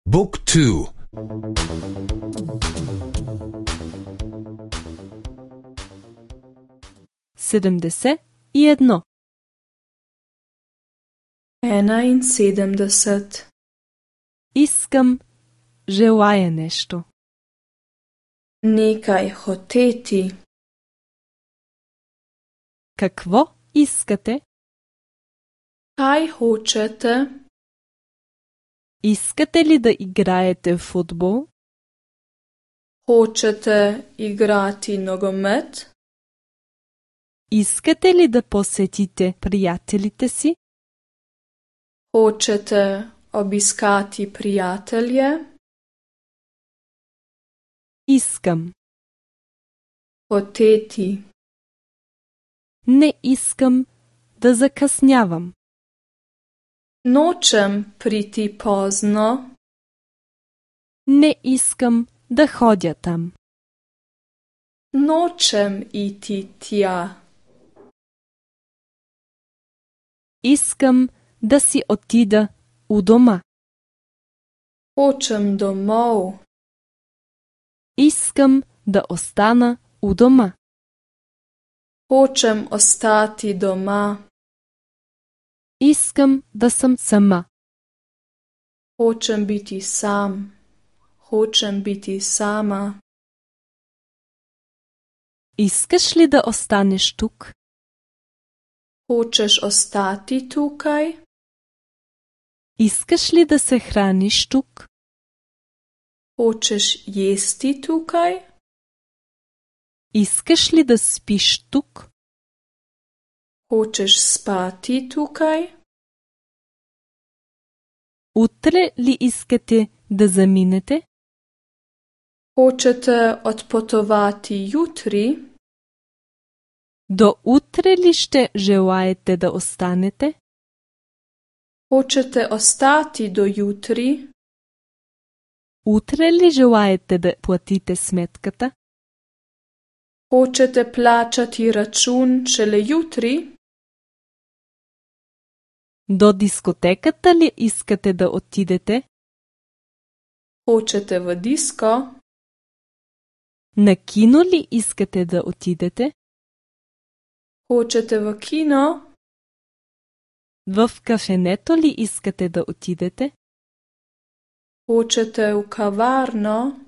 Book 2. 71. 71. Искам, желая нещо. Nekaj hoteti. Какво искате? Kaj hočete? Искате ли да играете в футбол? Hočete igrati nogomet? Искате ли да посетите приятелите си? Hočete obiskati prijatelje? Искам. Hoteti. Не искам да закъснявам. Nočem priti pozno. Не искам да ходя там. Nočem iti tja. Искам да си отида у дома. Hočem domov. Искам да остана у дома. Hočem ostati doma. Искам да съм сама. Hočem biti sam. Hočem biti sama. Искаш ли да останеш тук? Hočeš ostati tukaj? Искаш ли да се храниш тук? Hočeš jesti tukaj? Искаш ли да спиш тук? Hočeš spati tukaj? Утре ли искате да заминете? Hočete odpotovati jutri? До утре ли ще желаете да останете? Hočete ostati do jutri? Утре ли желаете да платите сметката? Hočete plačati račun šele jutri? До дискотеката ли искате да отидете? Hočete v disko? На кино ли искате да отидете? Hočete v kino? В кафенето ли искате да отидете? Hočete v kavarno?